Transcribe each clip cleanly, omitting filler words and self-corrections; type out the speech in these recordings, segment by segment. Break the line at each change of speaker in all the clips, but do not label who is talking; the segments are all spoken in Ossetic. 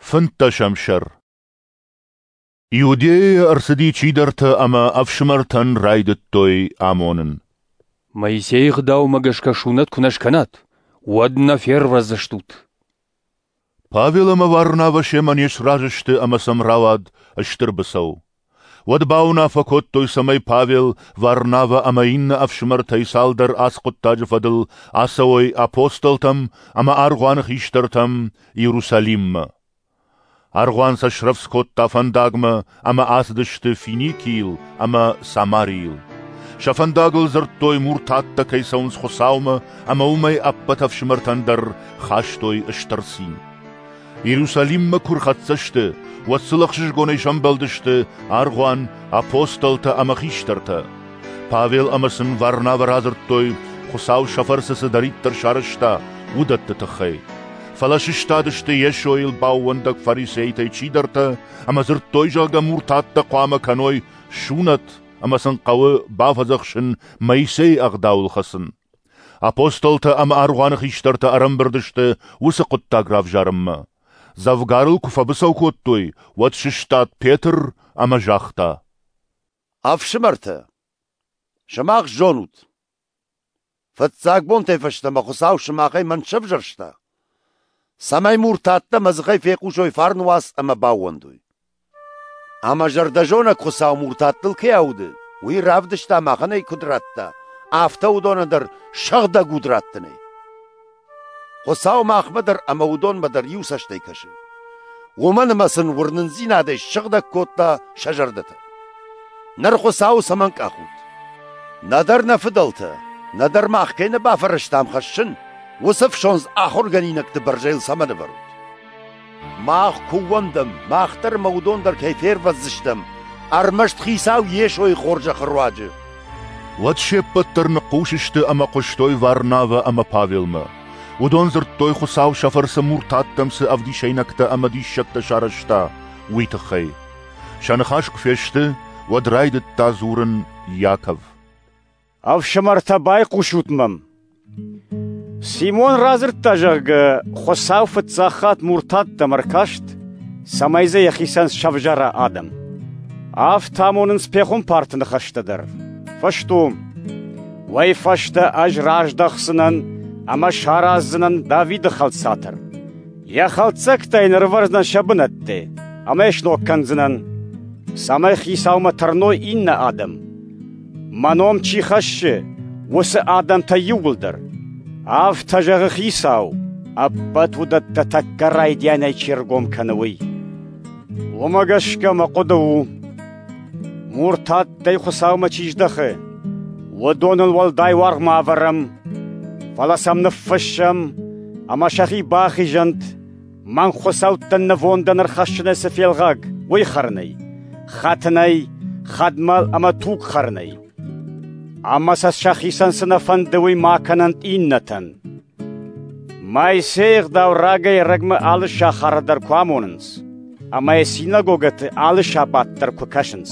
Фынддӕсӕм сӕр. Иудейӕйӕ ӕрцыди чидӕртӕ ӕмӕ ӕфсымӕртӕн райдыдтой амонын.
Моисейы гъдаумӕ гӕсгӕ сунӕт куы нӕ скӕнат, уӕд нӕ фервӕздзыстут.
Павел ӕмӕ Варнавӕ семӕ не сразы сты ӕмӕ сӕм рауад стыр быцӕу. Уӕд бауынаффӕ кодтой, цӕмӕй Павел, Варнавӕ ӕмӕ иннӕ ӕфсымӕртӕй цалдӕр ацы хъуыддаджы фӕдыл ацӕуой апостолтӕм ӕмӕ аргъуаны хистӕртӕм Иерусалиммӕ. Аргъуан сӕ срӕвдз кодта фӕндагмӕ ӕмӕ ацыдысты Финикийыл ӕмӕ Самарийыл. Сӕ фӕндагыл дзырдтой, муртаттӕ кӕй цӕуынц Хуыцаумӕ ӕмӕ уымӕй ӕппӕт ӕфсымӕртӕн дӕр хастой стыр цин. Иерусалиммӕ куы рхӕццӕ сты, уӕд сыл ӕхсызгонӕй сӕмбӕлдысты аргъуан, апостолтӕ ӕмӕ хистӕртӕ. Павел ӕмӕ сын Варнавӕ радзырдтой, Хуыцау сӕ фӕрцы цыдӕриддӕр сарӕзта, уыдӕтты тыххӕй. Фӕлӕ сыстадысты Йесойыл баууӕндӕг фарисейтӕй чидӕртӕ ӕмӕ дзырдтой, зӕгъгӕ, муртаттӕ хъуамӕ кӕной сунӕт ӕмӕ сын хъӕуы бафӕдзӕхсын Моисейы ӕгъдауыл хӕцын. Апостолтӕ ӕмӕ аргъуаны хистӕртӕ ӕрӕмбырд сты уыцы хъуыддаг равзарынмӕ. Дзӕвгар ыл куы фӕбыцӕу кодтой, уӕд сыстад Петр ӕмӕ загъта:
Ӕфсымӕртӕ, сымах зонут, фыццаг бонтӕй фӕстӕмӕ Хуыцау сымахӕй мӕн сӕвзӕрста, цӕмӕй муртаттӕ мӕ дзыхӕй фехъусой фарны уац ӕмӕ баууӕндой. Ӕмӕ зӕрдӕзонӕг Хуыцау муртаттыл кӕй ауды, уый равдыста махӕн ӕй куыд радта, афтӕ уыдонӕн дӕр сыгъдӕг уд раттынӕй. Хуыцау махмӕ дӕр ӕмӕ уыдонмӕ дӕр иу цӕстӕй кӕсы. Уымӕн ӕмӕ сын уырнындзинадӕй ссыгъдӕг кодта сӕ зӕрдӕтӕ. Ныр Хуыцауы цӕмӕн къахут? Нӕдӕр нӕ фыдӕлтӕ, нӕдӕр мах кӕй нӕ бафӕрӕзтам хӕссын, уыцы ӕфсондз ахуыргӕнинӕгты бӕрзӕйыл цӕмӕн ӕвӕрут? Мах куы ууӕндӕм, мах дӕр ӕмӕ уыдон дӕр кӕй фервӕздзыстӕм, ӕрмӕст Хицау Йесойы хорзӕхы руаджы.
Уӕд се ппӕт дӕр ныхъхъус сты ӕмӕ хъуыстой Варнавӕ ӕмӕ Павелмӕ. Уыдон дзырдтой, Хуыцау сӕ фӕрцы муртаттӕм цы ӕвдисӕйнӕгтӕ ӕмӕ диссӕгтӕ сарӕзта, уый тыххӕй. Сӕ ныхас куы фесты, уӕд райдыдта дзурын Иаков.
Ӕфсымӕртӕ, байхъусут мӕм! Симон радзырдта, зӕгъгӕ, Хуыцау фыццаг хатт муртаттӕм ӕркаст, цӕмӕй дзы йӕхицӕн сӕвзӕра адӕм. Афтӕ амонынц пехуымпарты ныхӕстӕ дӕр. Фӕсту, уый фӕстӕ ӕз раздӕхдзынӕн ӕмӕ сараздзынӕн Давиды хӕлд цатыр. Йӕ хӕлддзӕгтӕ йын ӕрывӕрдзынӕн сӕ бынӕтты ӕмӕ йӕ сног кӕндзынӕн, цӕмӕй хицаумӕ тырной иннӕ адӕм. Мӕ ном чи хӕссы, уыцы адӕмтӕ иууылдӕр. Афтӕ зӕгъы Хицау, ӕппӕт уыдӕттӕ тӕккӕ райдианӕй чи ргом кӕны, уый. Уымӕ гӕсгӕ мӕ хъуыды у, муртаттӕй Хуыцаумӕ чи здӕхы, уыдоныл уӕлдай уаргъ ма ӕвӕрӕм, фӕлӕ сӕм ныффыссӕм ӕмӕ сӕхи бахизӕнт, мӕнг хуыцӕуттӕн нывондӕн ӕрхӕссынӕй цы фелгъаг, уый хӕрынӕй, хӕтынӕй, хӕдмӕл ӕмӕ туг хӕрынӕй. Ӕмӕ сӕ сӕхицӕн цы нӕ фӕнды, уый ма кӕнӕнт иннӕтӕн. Моисейы ӕгъдау рагӕй-ӕрӕгмӕ алы сахары дӕр куы амонынц, ӕмӕ йӕ синагогӕты алы сабат дӕр куы кӕсынц.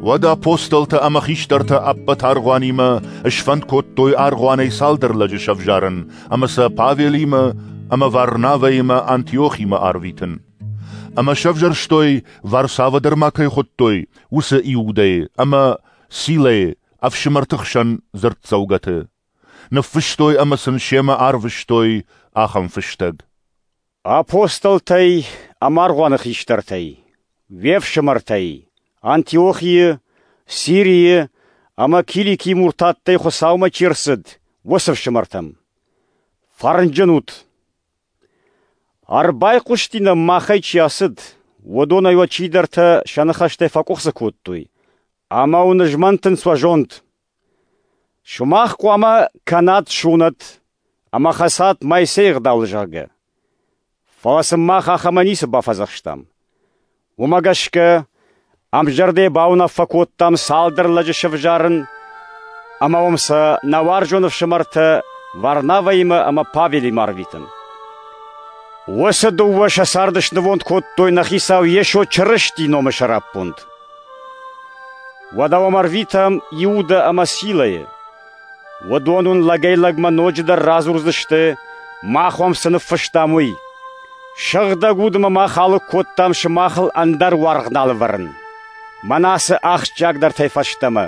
Уӕд апостолтӕ ӕмӕ хистӕртӕ ӕппӕт аргъуанимӕ сфӕнд кодтой аргъуанӕй цалдӕр лӕджы сӕвзарын ӕмӕ сӕ Павелимӕ ӕмӕ Варнавӕимӕ Антиохимӕ арвитын. Ӕмӕ сӕвзӕрстой, Варсавӕ дӕр ма кӕй хуыдтой, уыцы Иудӕйы ӕмӕ Силӕйы ӕфсымӕрты хсӕн дзырддзӕугӕты. Ныффыстой ӕмӕ сын семӕ арвыстой ахӕм фыстӕг.
Апостолтӕй ӕмӕ аргъуаны хистӕртӕй, уе фсымӕртӕй, Антиохийы, Сирийы ӕмӕ Киликийы муртаттӕй Хуыцаумӕ чи рцыд, уыцы фсымӕртӕм. Фӕрнджын ут! Ӕрбайхъуысти нӕм, махӕй чи ацыд, уыдонӕй уӕ чидӕртӕ сӕ ныхӕстӕй фӕкъуыхцы кодтой, ӕмӕ уын змӕнтынц уӕ зонд. Сымах хъуамӕ кӕнат сунӕт ӕмӕ хӕцат Моисейы ӕгъдауыл, зӕгъгӕ. Фӕлӕ сын мах ахӕмӕн ницы бафӕдзӕхстам. Уымӕ гӕсгӕ ӕмзӕрдӕйӕ бауынаффӕ кодтам цалдӕр лӕджы сӕвзарын ӕмӕ уым сӕ нӕ уарзон ӕфсымӕртӕ Варнавӕимӕ ӕмӕ Павелимӕ арвитын. Уыцы дыууӕ сӕ цард снывонд кодтой нӕ Хицау Йесо Чырыстийы номы сӕраппонд. Уӕдӕ уӕм ӕрвитӕм Иудӕ ӕмӕ Силӕйы. Уыдон уын лӕгӕй-лӕгмӕ ноджыдӕр радзурдзысты, мах уӕм цы ныффыстам, уый. Сыгъдӕг Удмӕ мах алыг кодтам сымахыл ӕндӕр уаргъ нал ӕвӕрын, мӕнӕ ацы ахсджиагдӕртӕй фӕстӕмӕ.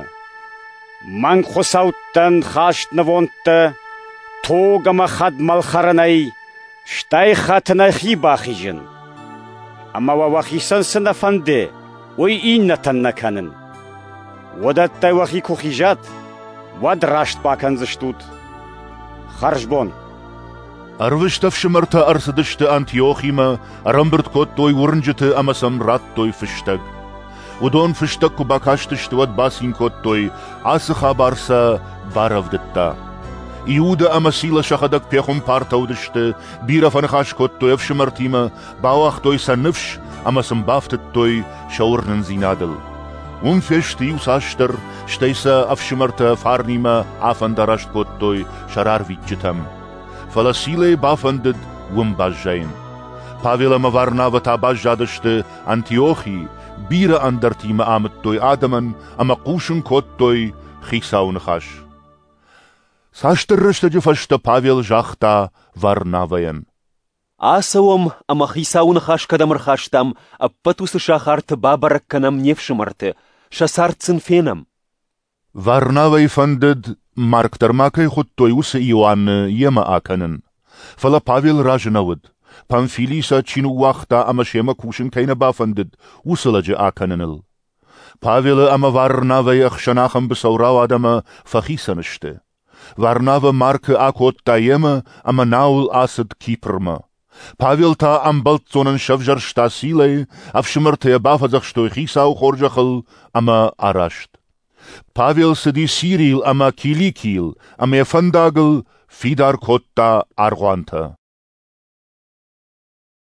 Мӕнг хуыцӕуттӕн хаст нывондтӕ, туг ӕмӕ хӕдмӕл хӕрынӕй, стӕй хӕтынӕй хи бахизын. Ӕмӕ уӕ уӕхицӕн цы нӕ фӕнды, уый иннӕтӕн нӕ кӕнын. Уыдӕттӕй уӕхи куы хизат, уӕд раст бакӕндзыстут. Хӕрзбон.
Ӕрвыст ӕфсымӕртӕ ӕрцыдысты Антиохимӕ, ӕрӕмбырд кодтой уырнджыты ӕмӕ сӕм радтой фыстӕг. Уыдон фыстӕг куы бакастысты, уӕд бацин кодтой, ацы хабар сӕ барӕвдыдта. Иудӕ ӕмӕ Сила сӕхӕдӕг пехуымпартӕ уыдысты, бирӕ фӕныхас кодтой ӕфсымӕртимӕ, бауагътой сӕ ныфс ӕмӕ сын бафтыдтой сӕ уырнындзинадыл. Уым фесты иуцасдӕр, стӕй сӕ ӕфсымӕртӕ фарнимӕ афӕндараст кодтой сӕ рарвитджытӕм. Фӕлӕ Силӕйы бафӕндыд уым баззайын. Павел ӕмӕ Варнавӕ та баззадысты Антиохийы, бирӕ ӕндӕртимӕ амыдтой адӕмӕн ӕмӕ хъусын кодтой Хицауы ныхас. Цасдӕр рӕстӕджы фӕстӕ Павел загъта Варнавӕйӕн:
Ацӕуӕм ӕмӕ Хицауы ныхас кӕдӕм ӕрхастам, ӕппӕт уыцы сахарты бабӕрӕг кӕнӕм не фсымӕрты, сӕ цард сын фенӕм.
Варнавӕйы фӕндыд, Марк дӕр ма кӕй хуыдтой, уыцы Иоанны йемӕ акӕнын. Фӕлӕ Павел разы нӕ уыд, Памфилийы сӕ чи ныууагъта ӕмӕ семӕ кусын кӕй нӕ бафӕндыд, уыцы лӕджы акӕныныл. Павелы ӕмӕ Варнавӕйы ӕхсӕн ахӕм быцӕу рауад ӕмӕ фӕхицӕн сты. Варнавӕ Маркы акодта йемӕ ӕмӕ науыл ацыд Кипрмӕ. Павел та ӕмбӕлццонӕн сӕвзӕрста Силӕйы, ӕфсымӕртӕ йӕ бафӕдзӕхстой Хицауы хорзӕхыл ӕмӕ араст. Павел цыди Сирийыл ӕмӕ Киликийыл ӕмӕ йӕ фӕндагыл фидар кодта аргъуантӕ.